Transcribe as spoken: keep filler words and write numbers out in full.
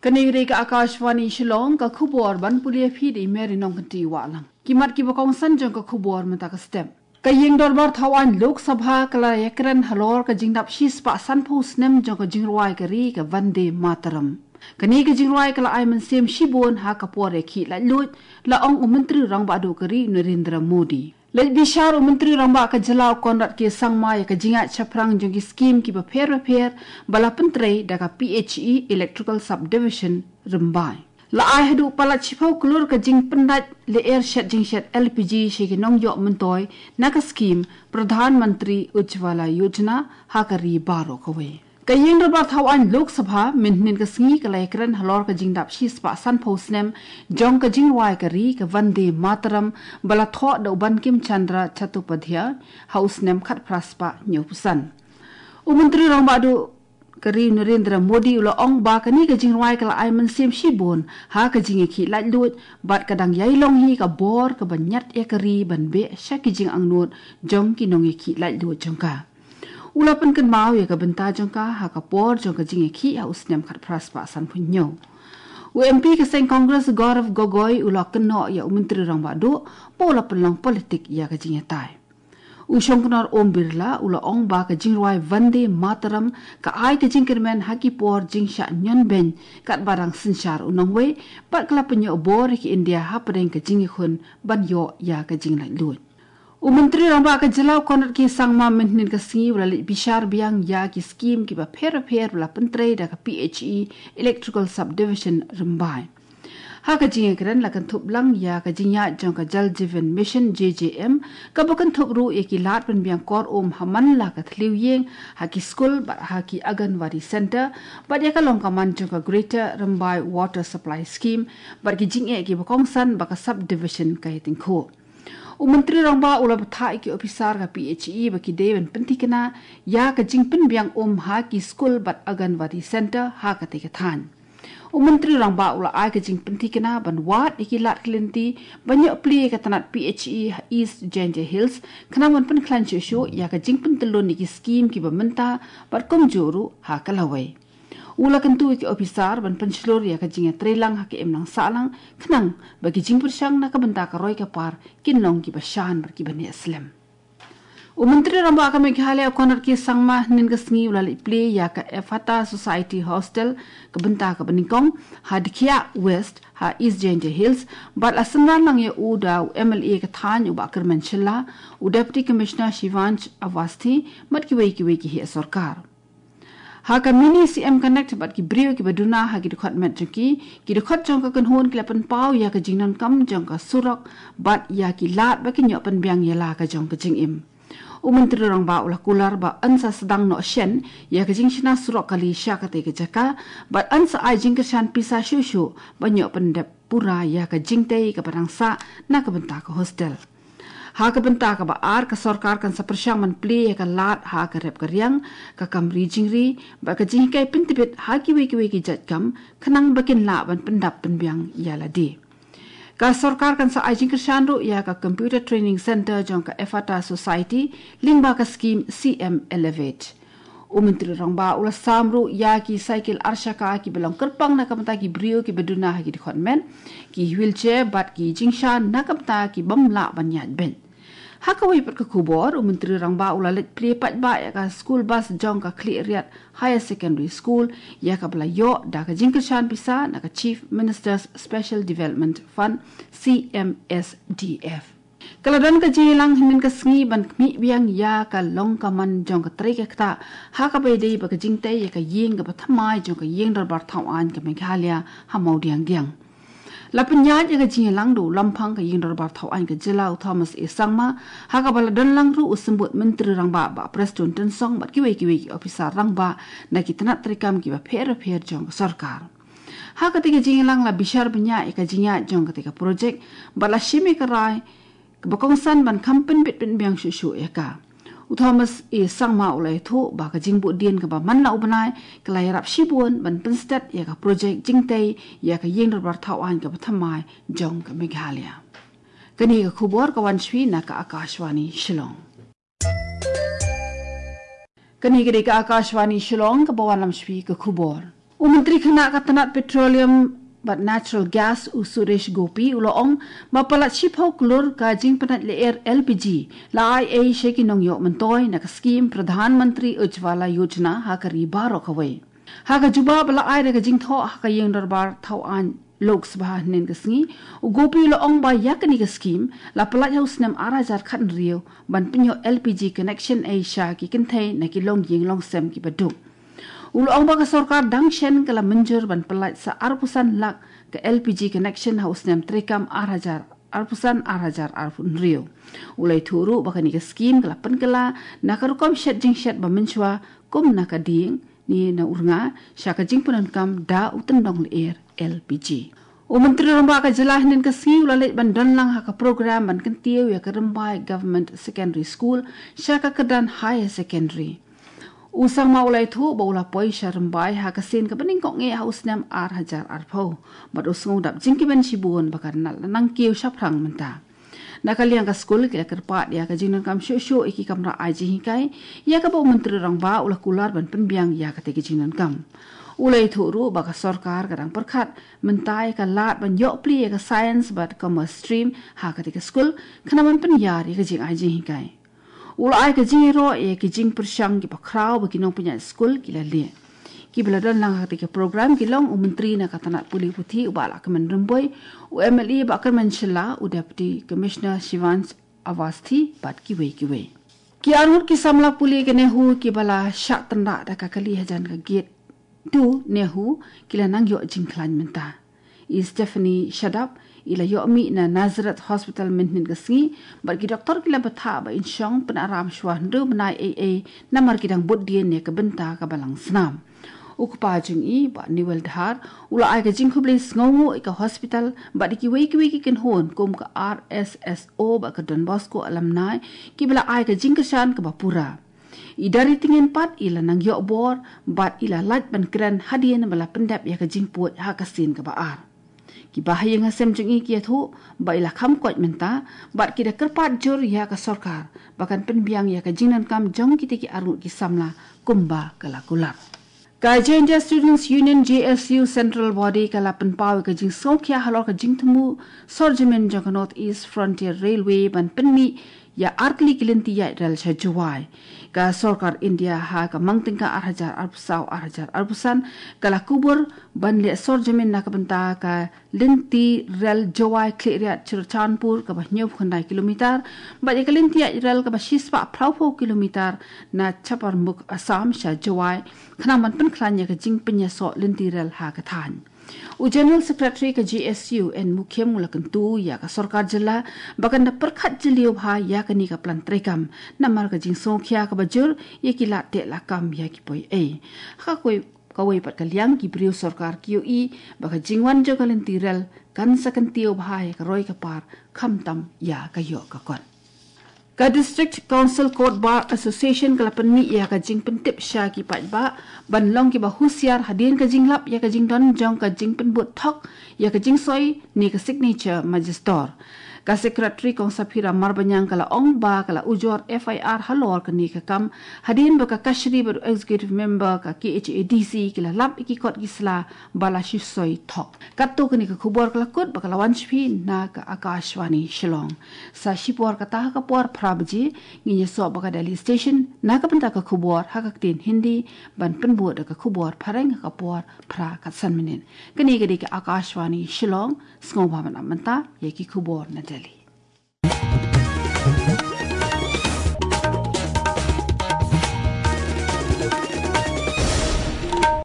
Kane ka dei ka Akashvani Shillong, ka khubor ban pule ïa phi da i Mary Nongkynti Wahlang. Ki mat kiba kongsan jong ka khubor mynta ka step. Ka ïing dorbar thaw aiñ Lok Sabha ka la ïakren halor ka jingdap shispah sanphew snem jong ka jingrwai ka ri ka Vande Mataram. Kane ka jingrwai ka la ai mynsiem shibun ha ka por ïakhih laitluid, la ong u Myntri Rangbah Duh ka ri Narendra Modi. Leit bishar u Myntri Rangbah ka jylla u Conrad K Sangma ïa ka jingïaid shaphrang jong ki skim kiba pher bapher ba la pyntrei da ka P H E Electrical Subdivision Rymbai. La ai haduh palat shiphew klur ka jingpyndait lyer shet jingshet L P G sha ki nongïoh myntoi na ka skim Pradhan Mantri Ujjwala Yojana ha ka ri baroh kawei. Ka ïing dorbar thaw aiñ Lok Sabha mynhynnin ka sngi ka la ïakren halor ka jingdap shispah sanphew snem jong ka jingrwai ka ri ka Vande Mataram ba la thoh da u Bankim Chandra Chattopadhyay ha u snem khatphra spah hynñiewphew san. U Myntri Rangbah Duh ka ri Narendra Modi u la ong ba kane ka jingrwai ka la ai mynsiem shibun ha ka jingïakhih laitluid bad ka dang ïai long hi ka bor kaba ñiad ïa ka ri ban beh sha ki jingangnud jong ki nongïakhih laitluid jong ka. U la pynkynmaw ïa ka bynta jong ka ha ka por jong ka jingïakhih ha u snem khatphra spah sanphew hynñiew. U M P ka seng Congress Gaurav Gogoi u la kynnoh ïa u Myntri Rangbah Duh ba u la pynlong politik ïa ka jingïatai. U Shongknor Om Birla u la ong ba ka jingrwai Vande Mataram ka ai ka jingkyrmen ha ki por jingshah ñion beiñ katba dang synshar u nongwei bad ka la pynïoh bor ïa ka India hapdeng ka jingïakhun ban ïoh ïa ka jinglaitluid. U Myntri Rangbah ka jylla u Conrad K Sangma mynhynnin ka sngi u la leit bishar biang ïa ki skim kiba pher bapher ba la pyntrei da ka P H E Electrical Subdivision Rymbai. Ha ka jingïakren la kynthup lang ïa ka jingïaid jong ka Jal Jeevan Mission J J M, kaba kynthup ruh ïa ki lad pynbiang kor um ha man la ka thliew ïing, ha ki skul bad ha ki Anganwadi Centre, bad ïa ka long ka man jong ka Greater Rymbai Water Supply Scheme bad ki jingeh kiba kongsan ba ka Subdivision ka ïatyngkhuh. U Myntri Rangbah u la bthah ïa ki ophisar ka P H E ba ki dei ban pynthikna ïa ka jingpynbiang um ha ki skul bad Anganwadi Centre ha katei ka thaiñ. U Myntri Rangbah u la ai ka jingpynthikna ban wad ïa ki lad ki lynti ban ïoh plie ïa ka tnat P H E ha East Jaintia Hills khnang ban pynkhlaiñ shuh shuh ïa ka jingpyntyllun ïa ki skim kiba mynta bad kumjuh ruh ha ka lawei. U la kyntu ïa ki ophisar ban pynshlur ïa ka jingïatreilang ha ka imlang sahlang khnang ba ki jingpyrshang na ka bynta ka roi ka par kin long kiba shan bad kiba neh slem. U Myntri Rangbah ka Meghalaya u Conrad K Sangma hynnin ka sngi u la leit plie ïa ka Efata Society Hostel ka bynta kaba nyngkong ha Dkhiah West ha East Jaintia Hills bad la synran lang ïa u da u M L A ka thaiñ u Bah Kyrmen Shylla, u Deputy Commissioner Shivansh Awasthi bad kiwei kiwei ki heh sorkar. Ha ka Mini C M Connect bad ki briew kiba duna ha ki dkhot met jong ki, ki dkhot jong ka kynhun ki la pynpaw ïa ka jingdonkam jong ka surok bad ïa ki lad ba kin ïoh pynbiang ïa la ka jong ka jingim. U Myntri Rangbah u la kular ba yn sa sdang noh shen ïa ka jingshna surok kali sha katei ka jaka bad yn sa ai jingkyrshan pisa shuh shuh ban ïoh pyndep pura ïa ka jingtei kaba dang sah na ka bynta ka hostel. Ha ka bynta kaba ar ka sorkar kan sa pyrshang ban plie ïa ka lad ha ka rep ka riang, ka kam ri jingri bad ka jinghikai pyntbit ha kiwei kiwei ki jait kam khnang ba kin lah ban pyndap pynbiang ïa lade. Ka sorkar kan sa ai jingkyrshan ruh ïa ka Computer Training Centre jong ka Efata Society lyngba ka skim C M Elevate. U Myntri Rangbah u la sam ruh ïa ki cycle arshaka kiba long kyrpang na ka bynta ki briew kiba duna ha ki dkhot met, ki wheelchair bad ki jingshan na ka bynta ki bym lah ban ïaid beit. Ha kawei pat ka khubor, u Myntri Rangbah u la leit plie paidbah ïa ka school bus jong ka Khliehriat Higher Secondary School ïa kaba la ïoh da ka jingkyrshan pisa na ka Chief Minister's Special Development Fund, C M S D F. Ka la don ka jingïalang hynnin ka sngi ban khmih biang ïa ka long ka man jong ka trei ka ktah ha kaba ïadei bad ka jingtei ïa ka ïing kaba thymmai jong ka ïing dorbar thaw aiñ ka Meghalaya ha Mawdiangdiang. La pynïaid ïa ka jingïalang da u Lamphang ka ïing dorbar thaw aiñ ka jylla u Thomas A Sangma, ha kaba la don lang ruh u Symbud Myntri Rangbah Bah Prestone Tynsong bad kiwei kiwei ki ophisar rangbah na ki tnat treikam kiba pher bapher jong ka sorkar. Ha katei ka jingïalang la bishar bniah ïa ka jingïaid jong katei ka projek bad la shim ïa ka rai kaba kongsan ban kham pynbit pynbiang shuh shuh ïa ka. U Thomas A Sangma u la ïathuh ba ka jingbuddien kaba man la u bnai ka la ïarap shibun ban pynstet ïa ka projek jingtei ïa ka ïing dorbar thaw aiñ kaba thymmai jong ka Meghalaya. Kane ka khubor ka wan shuwa na ka Akashvani Shillong. Kane ka dei ka Akashvani Shillong kaba wanlam shuwa ka khubor. U Myntri Khynnah ka tnat Petroleum bad Natural Gas, u Suresh Gopi, u la ong ba palat shiphew klur ka jingpynïaid lyer L P G la ai ei sha ki nongïoh myntoi na ka skhim Pradhan Mantri Ujjwala Yojana ha ka ri baroh kawei. Ha ka jubab ba la ai da ka jingthoh ha ka ïing dorbar thaw aiñ Lok Sabha hynnin ka sngi, u Gopi u la ong ba ïa kane ka skhim la palat ha u snem ar hajar khathynriew ban pynïoh L P G connection ei sha ki kynthei na ki longïing longsem kiba duk. U la ong ba ka sorkar dang shen ka la mynjur ban pynlait sa arphew san lak ka L P G connection ha u snem treikam ar hajar arphew san ar hajar arphew hynriew. U la ïathuh ruh ba kane ka skhim ka la pynkylla na ka rukom shet jingshet ba mynshuwa kum na ka dieng ne na u rnga sha ka jingpyndonkam da u tyndong lyer L P G. U Myntri Rangbah ka jylla hynnin ka sngi u la leit ban don lang ha ka program ban kyntiew ïa ka Rymbai Government Secondary School sha ka kyrdan Higher Secondary. U Sangma u la ïathuh ba u la poi sha Rymbai ha ka sien kaba nyngkong eh ha u snem ar hajar arphew. Bad u sngew dap jingkmen shibun ba ka rnat la nang kiew shaphrang mynta. Na ka liang ka skul ki la kyrpad ïa ka jingdonkam shuh shuh ïa ki kamra ai jinghikai, ïa kaba u Myntri Rangbah u la kular ban pynbiang ïa kata ka jingdonkam. U la ïathuh ruh ba ka sorkar ka dang pyrkhat mynta ïa ka lad ban ïoh plie ïa ka science bad commerce stream ha kata ka skul, khnang ban pynïar ïa ka jingai jinghikai. U la ai ka jingïaroh ïa ki jingpyrshang kiba khraw ba ki nongpynïaid skul ki la leh. Kiba la don lang ha kata ka program ki long u Myntri na ka tnat pule puthi u Bah Lahkmen Rymbui, u M L A Bah Kyrmen Shylla, u Deputy Commissioner Shivansh Awasthi bad kiwei kiwei. Ki arngut ki samla pule ka NEHU kiba la shah tynrah da ka kali hajan ka gate two NEHU ki la nang ïoh jingkhlaiñ mynta. I Stephanie Shadap i la ïoh mih na Nazareth Hospital mynhynnin ka sngi, bad ki doktor ki la bthah ba in shong pynaram shuwa hynriew bnai ei ei namar ki dang bud dien ïa ka bynta kaba lang snam. U kpa jong i Bah Newell Dhar u la ai ka jingkhublei sngewnguh ïa ka hospital bad ïa kiwei kiwei ki kynhun kum ka R S S O bad ka Don Bosco Alumni kiba la ai ka jingkyrshan kaba pura. I Dari Tyngin pat i la nang ïoh bor bad i la lait ban kren hadien ba la pyndep ïa ka jingpud ha ka sien kaba ar. Ki bahaïing hasem jong i ki ïathuh ba i la kham koit mynta bad ki da kyrpad jur ïa ka sorkar ba kan pynbiang ïa ka jingdonkam jong kita ki arngut ki samla kumba ka la kular. Ka Jaintia Students Union, J S U, Central Body ka la pynpaw ïa ka jingsngewkhia halor ka jingthmu sorjamin jong ka North East Frontier Railway ban pynmih ïa artylli ki lynti ïaid rel sha Jowai. Ka sorkar India ha ka mang tyngka ar hajar arphew saw ar hajar arphew san ka la kubur ban leh sorjamin na ka bynta ka lynti rel Jowai Khliehriat Churachandpur kaba hynñiewphew khyndai kilometer bad ïa ka lynti ïaid rel kaba shispah phraphew kilometer na Chaparmukh Assam sha Jowai khnang ban pynkhlaiñ ïa ka jingpynïasoh lynti rel ha ka thaiñ. U General Secretary ka J S U N Mukhim u la kyntu ïa ka sorkar jylla ba kan da pyrkhat jylliew bha ïa kane ka plan treikam namar ka jingsngewkhia kaba jur ïa ki lad teh lad kam ïa ki poi ei. Ha kawei, kawei pat ka liang ki briew sorkar ki ïohi ba ka jingwan jong ka lynti rel kan sa kyntiew bha ïa ka roi ka par khamtam ïa ka ïoh ka kot. Ka District Council Court Bar Association ka la pynmih ïa ka jingpyntip sha ki paidbah ban long kiba husiar hadien ka jinglap ïa ka jingdon jong ka jingpynbud thok ïa ka jingsoi ne ka signature magister. Ka Secretary Kong Saphira Marbaniang ka la ong ba ka la ujor F I R halor kane ka kam hadien ba ka Kashari bad u Executive Member ka K H A D C ki la lap ïa ki kot ki sla ba la shu soi thok. Katto kane ka khubor ka la kut ba ka la wan sha phi na ka Akashvani Shillong. Sa shipor kata ha ka por phra baje ngin ïasoh bad ka Delhi Station na ka bynta ka khubor ha ka ktien Hindi ban pynbud da ka khubor phareng ha ka por phra khatsan minit. Kane ka dei ka Akashvani Shillong, sngewbha ban ap mynta ïa ki khubor na Delhi.